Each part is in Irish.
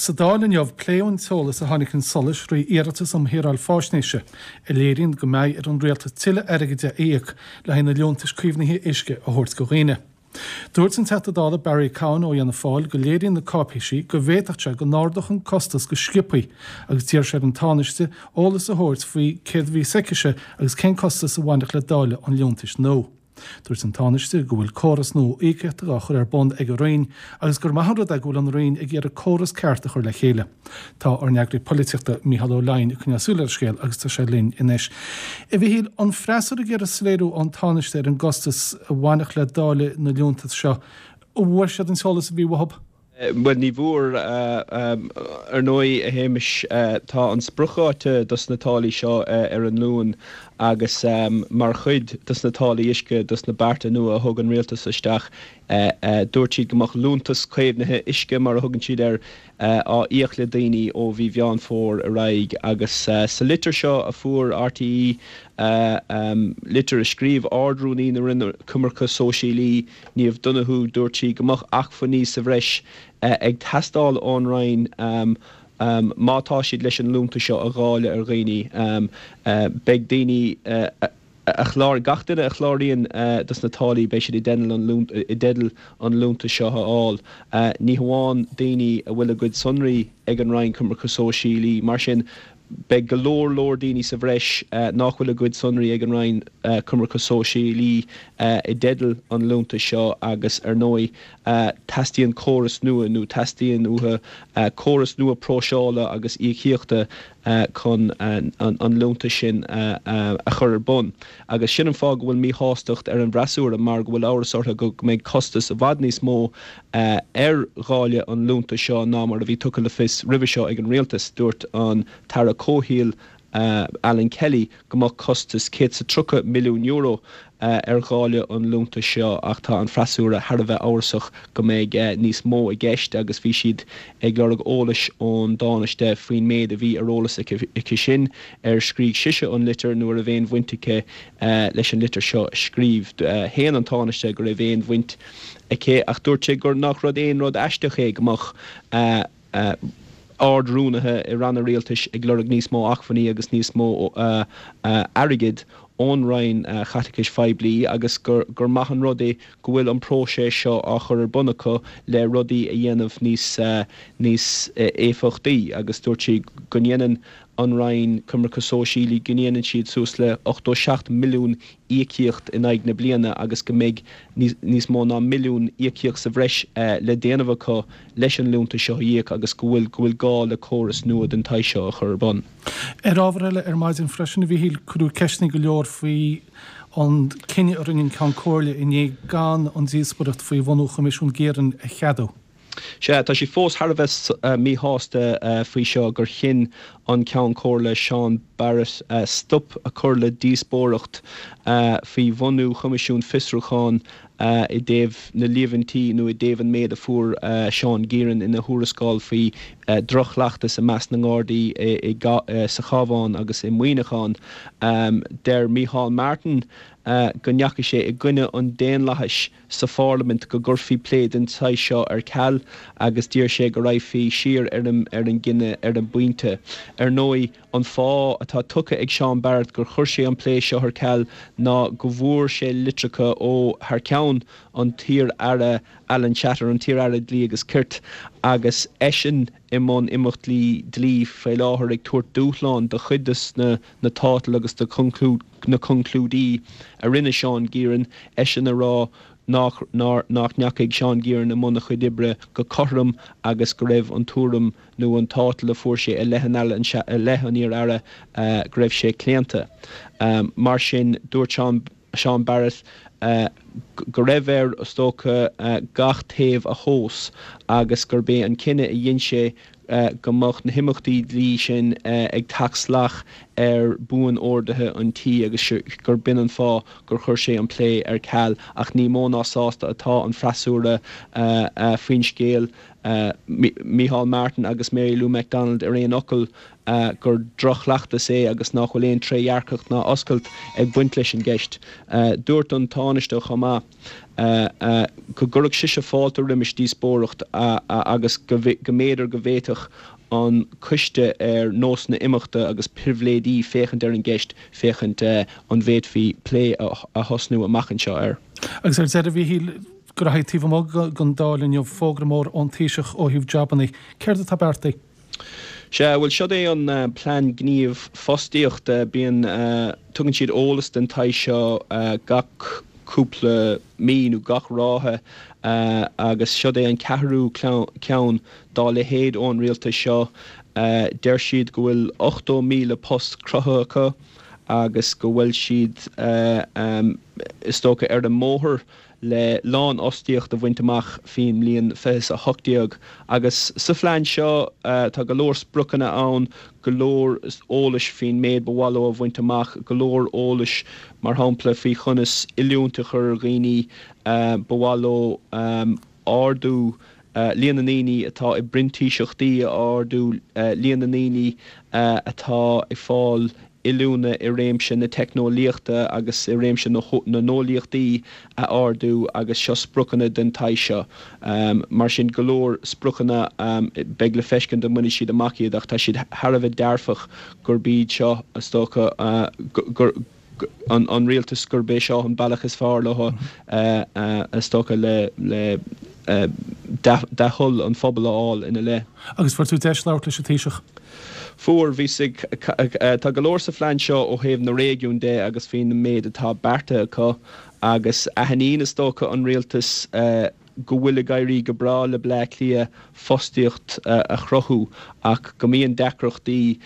Sa Dáil inniu, pléadh an t-eolas a tháinig chun solais thrí iarratas um Shaoráil Faisnéise, a léiríonn go mbeidh ar an rialtas tuilleadh airgid a íoc le haghaidh na liúntais caomhnaithe uisce a thabhairt go dhaoine. Dúirt an Teachta Dála Barry Cowen ó Fhianna Fáil go léiríonn na cáipéisí go bhféadfadh sé go n-ardódh an costas go sciobthaí agus d'iarr sé ar an Tánaiste eolas a thabhairt faoi céard a bhí s'aicise agus cén costas a bhainfeadh le dáileadh an liúntais nua. Dúirt an Tánaiste go bhfuil córas nua íocaíochta á chur ar bun ag a Roinn agus gur maith an rud é go bhfuil an Roinn ag iarraidh córas ceart a chur le chéile. Tá ár n-eagraí polaitíochta Mícheál Ó Leidhin ag coinneáil súil ar an scéal agus tá sé linn anois. A Mhichíl, an freasúra ag iarraidh soiléiriú ón Tánaiste ar an gcostas a bhainfeadh le dáileadh na liúntas seo, an bhfuair siad an t-eolas a bhí uathu? Bhuel, ní bhfuair. Ar ndóigh, a Shéamais, tá an spriocdháta dos na táillí seo ar an Luan agus mar chuid dos na táillí uisce, dos na bearta nua a thug an rialtas isteach, dúirt siad go mbeadh liúntas caomhnaithe uisce, mar a thugann siad air, á íoc le daoine ó mhí Mheán Fómhair ar aghaidh. Agus sa litir seo a fuair RTÉ, litir a scríobh Ard-Rúnaí na Roinne Coimirce Sóisialaí, Niamh Donohoe, dúirt sí go mbeadh acmhainní sa bhreis ag teastáil ón Roinn má tá siad leis an liúntas seo a dháileadh ar dhaoine. Beidh daoine a chláraigh, gach duine a chláraíonn dos na táillí, beidh siad i dteideal an liúntas seo a fháil. Ní hamháin daoine a bhfuil a gcuid sonraí ag an Roinn Coimirce Sóisialaí. Mar sin, Beidh go leor leor daoine sa bhreis nach bhfuil a gcuid sonraí ag an Roinn Coimirce Sóisialaí i dteideal an liúntais seo agus ar ndóigh teastaíonn córas nua nó teastaíonn uathu córas nua próiseála agus íocaíochta chun an liúntas sin a chur ar bun. Agus sin an fáth go bhfuil míshástacht ar an bhfreasúra mar go bhfuil amhras orthu go mbeidh costas i bhfad níos mó ar dháileadh an liúntais seo ná mar a bhí tugtha le fios roimhe seo ag an Rialtas. Dúirt an tAire Comhshaoil Alan Kelly go mbeadh costas €130 milliún ar dháileadh an liúntais seo ach tá an freasúra thar a bheith amhrasach go mbeidh níos mó i gceist agus bhí siad ag lorg eolais ón dTánaiste faoin méid a bhí ar eolas aici sin ar scrígh sise an litir nó an raibh aon bhaint aici leis an litir seo a scríobh. Shéan an Tánaiste go raibh aon bhaint aici ach dúirt sé gur nach rud aon rud aisteach é go mbeadh ard-rúnaithe i ranna rialtais ag lorg níos mó acmhainní agus níos mó airgid ón Roinn Chaiteachais Phoiblí agus gur maith an rud é go bhfuil an próiseas seo á chur ar bun acu le rudaí a dhéanamh níos níos éifeachtaí agus dúirt sé go ndéanann an Roinn Coimirce Sóisialaí go ndéanann siad suas le 87 milliún íocaíocht in aghaidh na bliana agus go mbeidh níos mó ná milliún íocaíocht sa bhreis le déanamh acu leis an liúntas seo a íoc agus go bhfuil go bhfuil gá le córas nua den tsaghas seo a chur ar bun. Ar ábhar eile ar maidin freisin, a Mhíchíl, cuireadh ceisteanna go leor faoi an cinneadh a rinne an Ceann Comhairle inné gan an díospóireacht faoi bhunú Choimisiún Geiran a cheadú. Sea, tá siad fós thar a bheith míshásta faoi seo gur chinn an Ceann Comhairle Seán Barrett stop a chur le díospóireacht faoi bhunú Choimisiún Fiosrúcháin i dtaobh na líomhaintí nó i dtaobh an méid a fuair Seán Geiran ina thuarascáil faoi dhroch-chleachtas i measc na nGardaí sa Chabhán agus i Muineachán. Deir Micheál Martin go ndeachaigh sé i gcoinne an daonlathais sa pharlaimint go gcuirfí plé den tsaghas seo ar ceal agus d'iarr sé go raghfaí siar ar an ar an gcinneadh ar an bpointe. Ar ndóigh, an fáth atá tugtha ag Seán Barrett gur chuir sé an plé seo ar ceal ná go bhfuair sé litreacha ó thar ceann an t-iar-aire Alan Shatter, an t-iar-aire Dlí agus Cirt, agus eisean i mbun imeachtaí dlí faoi láthair ag tabhairt dúshlán do chuid de na na tátail agus de na conclúidí a rinne Seán Geiran, eisean a rá nach nach ndeachaigh Seán Geiran i mbun a chuid oibre go cothrom agus go raibh an tuairim nó an tátal a fuair sé i leith an i leith an iar-aire go raibh sé claonta. Mar sin, dúirt Seán Seán Barrett go raibh air, is dócha, gach taobh a thomhas agus gurb é an cinneadh a dhein sé go mbeadh na himeachtaí dlí sin ag teacht salach ar buan-orduithe an tí agus gur b'in an fáth gur chuir sé an plé ar ceal ach ní mó ná sásta atá an freasúra faoin scéal. Micheál Martin agus Mary Lou McDonald ar aon fhocal gur droch-chleachtas é agus nach bhfuil aon trédhearcacht ná oscailt ag baint leis an gceist. Dúirt an Tánaiste chomh maith go gcuirfeadh sise fáilte roimis díospóireacht agus go mb'fhéidir go bhféadfadh an Coiste ar Nósanna Imeachta agus Pribhléidí féachaint ar an gceist féachaint an bhféadfaí plé a thosnú amach anseo air. Agus ar deireadh, a Mhíchíl, graithí taobh amuigh den Dáil inniu, fógra mór ón Taoiseach ó thaobh jabannaí. Céard atá beartaithe? Sea, bhuel, siod é an plean gníomh fostaíochta. Bíonn, tugann siad eolas den tsaghas seo gach cúpla mí nó gach ráithe agus siod é an ceathrú ceann dá leithéid ón rialtas seo. Deir siad go bhfuil 80,000 post cruthaithe acu agus go bhfuil siad, is dócha, ar an mbóthar le lánfhostaíocht a bhaint amach faoin mbliain 2018. Agus sa phlean seo tá go leor spriocanna ann, go leor eolais faoin méid ba mhaith leo a bhaint amach, go leor eolais mar shampla faoi chonas oiliúint a chur ar dhaoine, ba mhaith leo ardú líon na ndaoine atá i bprintíseachtaí a ardú, líon na ndaoine atá ag fáil oiliúna i réimse na teicneolaíochta agus i réimse na n-eolaíochtaí a ardú agus seo spriocanna den tsaghas seo. Mar sin, go leor spriocanna, beidh le feiscint an mbainfidh siad amach iad ach tá siad thar a bheith dearfach gurb iad seo, is dócha, gur an rialtas gurb é seo an bealach is fearr leo, is dócha, le dea-thoil an phobail a fháil ina leith. Agus fuair tú deis labhairt leis an Taoiseach? Fuair, bhíos ag, tá go leor sa phlean seo ó thaobh na réigiún de agus faoin méid atá beartaithe acu agus aithníonn is dócha an rialtas go bhfuil ag éirí go breá le Bleá Cliath fostaíocht a chruthú ach go mbíonn deacrachtaí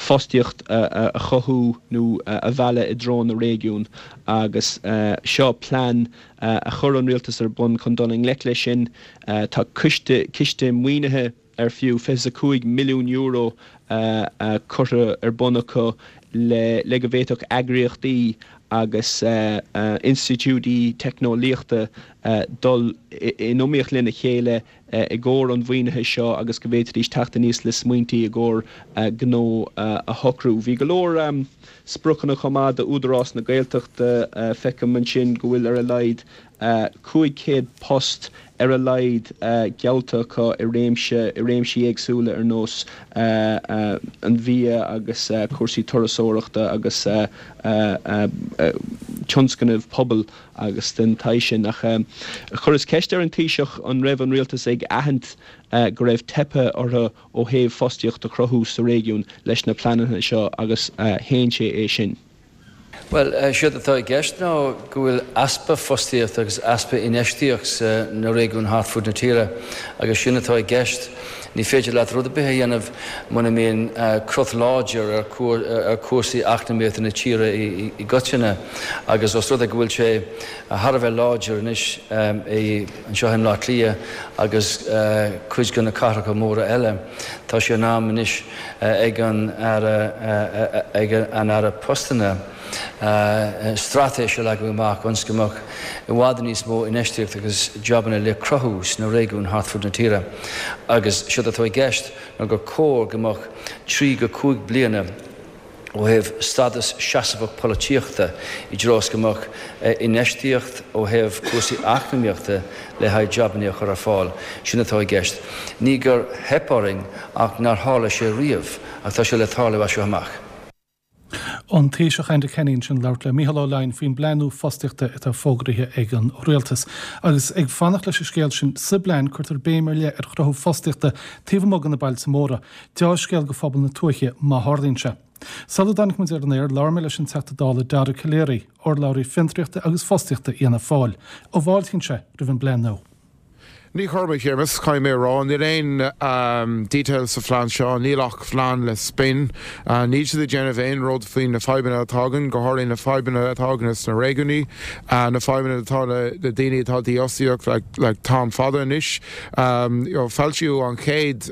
fostaíocht a chothú nó a mhealladh i dtreo na réigiún agus seo plean a chuir an rialtas ar bun chun dul i ngleic leis sin. Tá coiste, ciste maoinithe. ar fiú €25 milliún curtha ar bun acu le go bhféadfadh eagraíochtaí agus institiúidí teicneolaíochta dul in iomaíocht lena chéile i gcomhair an mhaoinithe seo agus go bhféadfaidís teacht aníos le smaointí i gcomhair gnó a shocrú. Bhí go leor spriocanna chomh maith d'Údarás na Gaeltachta. Feicim ansin go bhfuil ar a laghad 500 post ar a laghad geallta acu i réimse, i réimsí éagsúla ar nós an bhia agus cúrsaí turasóireachta agus tionscnaimh pobail agus den tsaghas sin. Ach chuireas ceist ar an Taoiseach an raibh an rialtas ag aithint go raibh teipthe orthu ó thaobh fostaíocht a chruthú sa réigiún leis na pleananna seo agus shéan sé é sin. Bhuel, séard atá i gceist ná go bhfuil easpa fostaíochta agus easpa infheistíocht sa na réigiúin thart fud na tíre agus sin atá i gceist. Ní féidir leat rud ar bith a dhéanamh muna mbíonn crot láidir ar ar chúrsaí eacnamaíochta na tíre i gcoitinne agus os rud é go bhfuil sé thar a bheith láidir anois i anseo i mBleá Cliath agus cuid de na cathracha móra eile, tá sé in am anois ag an Aire ag an Aire Postanna straitéis a leagadh amach ionas go mbeadh i bhfad níos mó infheistíocht agus jabanna le cruthú sna réigiúin thart fud na tíre agus séard atá i gceist ná gur cóir go mbeadh 3 go 5 bliana ó thaobh stádas seasmhach polaitíochta i dtreo is go mbeadh infheistíocht ó thaobh cúrsaí eacnamaíochta le haghaidh jabanna a chur ar fáil. Sin atá i gceist. Ní gur theip orainn ach nár tharla sé riamh ach tá sé le tarlú as seo amach. An Taoiseach Enda Kenny ansin ag labhairt le Mícheál Ó Leidhin faoin bplean nua fostaíochta atá fógraithe ag an Rialtas. Agus ag fanacht leis an scéal sin, sa bplean cuirtear béim ar leith ar chruthú fostaíochta taobh amuigh de na bailte móra. Deá-scéal go phobal na tuaithe má tharlaíonn sé. Sula dtáinig muid ar an aer, labhair mé leis an Teachta Dála Dara Calleary, urlabhraí fiontraíochta agus fostaíochta Fhianna Fáil. An bhfáiltíonn sé roimh an bplean nua. Ní chuirim, a Shéamus, caithfidh mé a rá. Níl aon detail sa phlean seo, níl ach phlean le spin. Níl siad ag déanamh aon rud faoi na fadhbanna atá againn, go háirithe na fadhbanna atá againn sna réigiúnaí, na fadhbanna atá le daoine atá dífhostaíocht le t-am fada anois. Foilsíodh an chéad,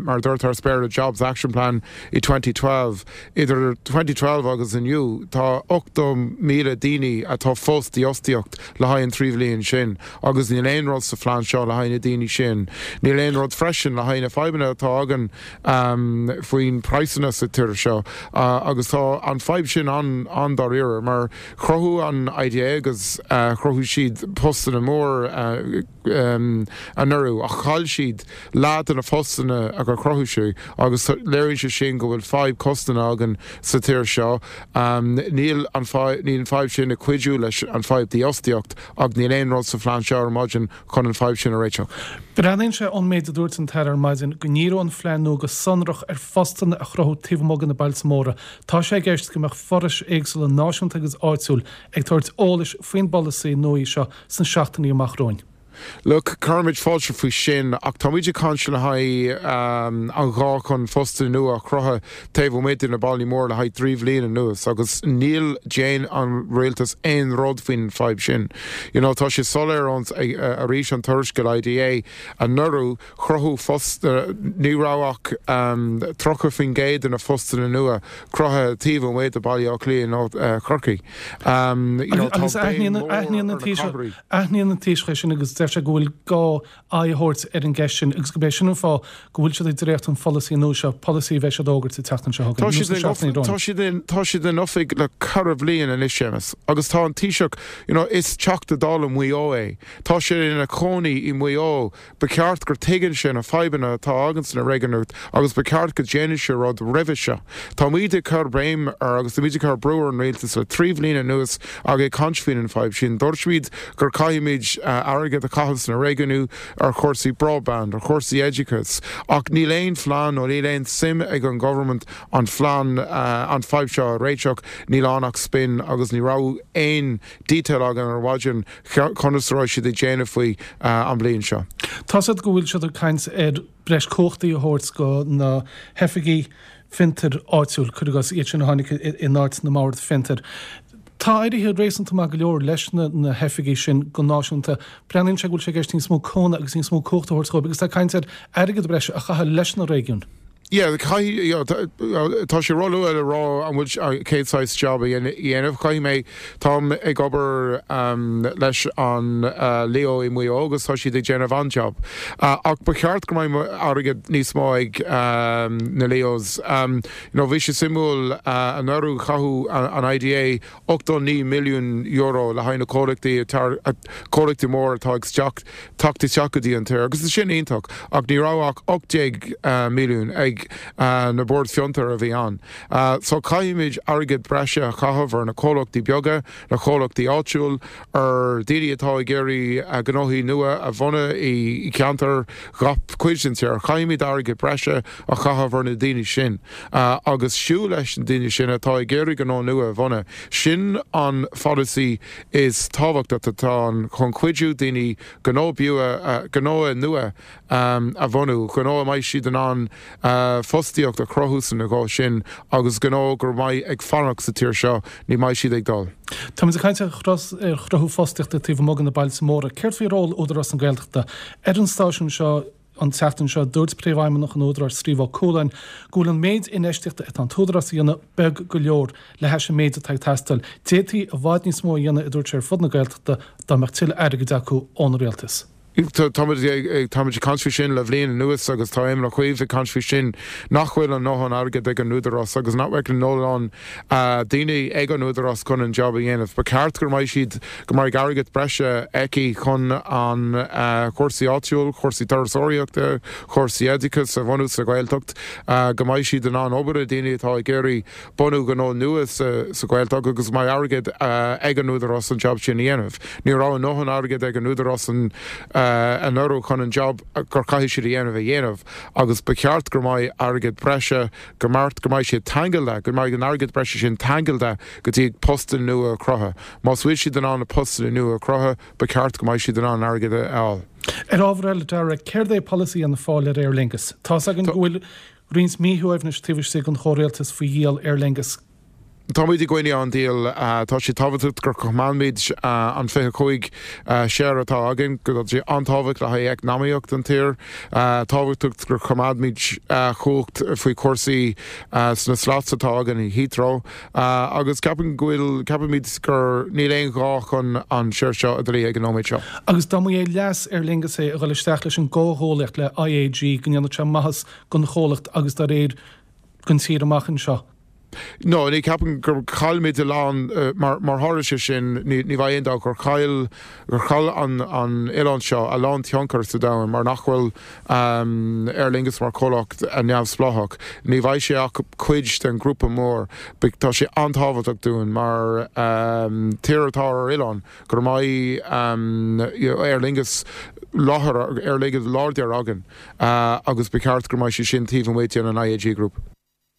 mar a dúirt thar spéir, Jobs Action Plan i 2012. Idir 2012 agus inniu, tá 80,000 daoine atá fós dífhostaíocht le haghaidh an 3 bhliain sin agus níl aon rud sa phlean seo le haghaidh na daoine sin. Níl aon rud freisin le haghaidh na fadhbanna atá againn faoin praghsanna sa tír seo agus tá an fadhb sin an-dáiríre mar chruthú an IDA agus chruthaigh siad postanna mór anuraidh ach chaill siad leath de na postanna a chruthaigh sé agus léiríonn sé sin go bhfuil fadhb costanna againn sa tír seo. Níl an fadhb sin ag cuidiú leis an fadhb dífhostaíocht ach níl aon rud sa phlean seo ar maidin chun an fadhb sin a réiteach. Breathnaíonn sé ón méid a dúirt an tAire ar maidin go ndíreoidh an phlean nua go sonrach ar phostanna a chruthú taobh amuigh de na bailte móra. Tá sé i gceist go mbeadh forais éagsúla náisiúnta agus áitiúil ag tabhairt eolais faoin bpolasaí nua seo sna seachtainí amach romhainn. Look, cuirimid fáilte faoi sin, ach táimid ag caint le haghaidh an ghá chun postanna nua a chruthú taobh amuigh de na bailí móra le haghaidh 3 bhliain anuas agus níl déan an rialtas aon rud faoin fadhb sin. You know, tá sé soiléir ón arís an tuarascáil IDA anuraidh chruthú phost, ní raibh ach 30% de na phostanna nua cruthaithe taobh amuigh de Baile Átha Cliath nó Corcaigh. You know, tá béim mór ar na cathraí. Aithníonn an Taoiseach é sin agus deir sé go bhfuil gá aghaidh a thabhairt ar an gceist sin agus gurb é sin an fáth go bhfuil siad ag dréachtú an pholasaí nua seo, polasaí a bheidh siad a fhógairt an tseachtain seo chugainn, nó sna seachtainí romhainn. Tá siad in, tá siad in oifig le ceithre bhliain anois, Séamus, agus tá an Taoiseach, you know, is Teachta Dála Mhaigh Eo é. Tá sé ina chónaí i Maigh Eo. Ba cheart gur tuigeann sé na fadhbanna atá againn sna réigiúin agus ba cheart go déanadh sé rud roimhe seo. Táimid ag cur béim ar agus táimid ag cur brú ar an rialtas le 3 bhliain anuas ag caint faoin an fadhb sin. Dúirt muid gur caithfimid airgead a chaitheamh sna réigiúin ar chúrsaí broadband, ar chúrsaí oideachais ach níl aon phlean nó níl aon suim ag an government an phlean an fadhb seo a réiteach. Níl ann ach spin agus ní raibh aon detail againn ar maidin conas a raibh siad ag déanamh faoi an bliain seo. Tá's agat go bhfuil siad ag caint ar breis cumhachtaí a thabhairt go na hoifigí fiontair áitiúil, cuir i gcás, iad sin a tháinig in áit na mbord fiontair. Tá éirithe réasúnta maith go leor leis na hoifigí sin go náisiúnta. Breathnaíonn sé go bhfuil sé i gceist níos mó cumhna agus níos mó cumhachta a thabhairt dóibh agus tá caint ar airgead breise a chaitheamh leis na réigiúin. Yeah, caithfidh, tá sé róluath le rá an bhfuil cén saghas job a dhéanamh. Caithfidh mé, táim ag obair leis an Leo i Maigh Eo agus tá siad ag déanamh an-job. Ach ba cheart go mbeidh airgead níos mó ag na Leos. You know, bhí sé suimiúil anuraidh chaitheadh an IDA €89 milliún le haghaidh na comhlachtaí, comhlachtaí mór atá ag teacht isteach go dtí an tír agus sin iontach ach ní raibh ach 18 milliún ag na boird fiontair a bhí ann. So caithfimid airgead breise a chaitheamh ar na comhlachtaí beaga, na comhlachtaí áitiúil, ar daoine atá ag iarraidh gnóthaí nua a bhunú i gceantair gach cuid den tír. Caithfimid airgead breise a chaitheamh ar na daoine sin agus siúl leis na daoine sin atá ag iarraidh gnó nua a bhunú. Sin an pholasaí is tábhachtach atá ann chun cuidiú daoine gnó beo, gnó nua a bhunú, gnó a mbeidh siad in ann fostaíocht a chruthú san ghnó sin agus gnó gur mbeidh ag fanacht sa tír seo, ní mbeidh siad ag dul. Táimid ag caint ar chruthú fostaíochta taobh amuigh de na bailte móra. Céard faoi ról Údarás na Gaeltachta ar an stáisiún seo? An tseachtain seo, dúirt Príomhfheidhmeannach an Údaráis, Steve Ó Cualáin, go bhfuil an méid infheistíochta atá an tÚdarás a dhéanamh beag go leor le hais an méid atá ag teastáil. D'fhéadfaí i bhfad níos mó a dhéanamh, a dúirt sé, ar fud na Gaeltachta dá mbeadh tuilleadh airgid acu ón Rialtas. Táimid ag caint faoi sin le bhliain anuas agus tá Éamon Ó Cuív ag caint faoi sin nach bhfuil an ndóthain airgead ag an Údarás agus nach bhfuil an ndóthain daoine ag an Údarás chun an job a dhéanamh. Ba cheart go mbeidh siad, go mbeidh airgead breise aici chun an chúrsaí áitiúil, chúrsaí turasóireachta, chúrsaí oideachais a bhunú sa Ghaeltacht, go mbeidh siad in ann obair le daoine atá ag iarraidh bunú gnó nua sa Ghaeltacht agus go mbeidh airgead ag an Údarás an job sin a dhéanamh. Ní raibh a ndóthain airgead ag an Údarás an. Anuraidh chun an job gur caithfidh siad a dhéanamh a dhéanamh agus ba cheart go mbeidh airgead breise, go mbeart go mbeidh sé tangailte, go mbeidh an airgead breise sin tangailte go dtí postanna nua a chruthú. Más bhfuil siad in ann na postanna nua a chruthú, ba cheart go mbeidh siad in ann airgead a fháil. Ar ábhar eile, Dara, céard é polasaí Fhianna Fáil ar Aer Lingus? Tá's againn go bhfuil roinnt míshuaimhnis taobh istigh den chomhrialtas faoi dhíol Aer Lingus. Táimid i gcoinne an díol. Tá sé tábhachtach gur choimeádfaimid an 25 share atá againn. Tá sé an-tábhachtach le haghaidh eacnamaíocht an tír. Tábhachtach gur choimeádfaimid cumhacht faoi chúrsaí sna slots atá againn i Heathrow. Agus ceapaim go bhfuil, ceapaimid gur níl aon ghá chun an share seo a dhíol ag an nóiméad seo. Agus dá mba é leas Aer Lingus é a dhul isteach leis an gcomhghuaillíocht le IAG go ndéanfadh sé maitheas don chomhlacht agus dá réir don tír amach anseo. No, ní ceapaim gur chaillmid a lán, mar mar tharla sé sin, ní ní bheidh aon dabht gur chaill gur chaill an an oileán seo a lán tionchar sa domhan mar nach bhfuil Aer Lingus mar chomhlacht neamhspleách. Ní bheidh sé ach cuid den ghrúpa mór. Tá sé an-tábhachtach dúinn mar tír atá ar oileán go mbeidh Aer Lingus láthair Aer Lingus láidir againn agus ba cheart go mbeidh sé sin taobh amuigh den an IAG Group.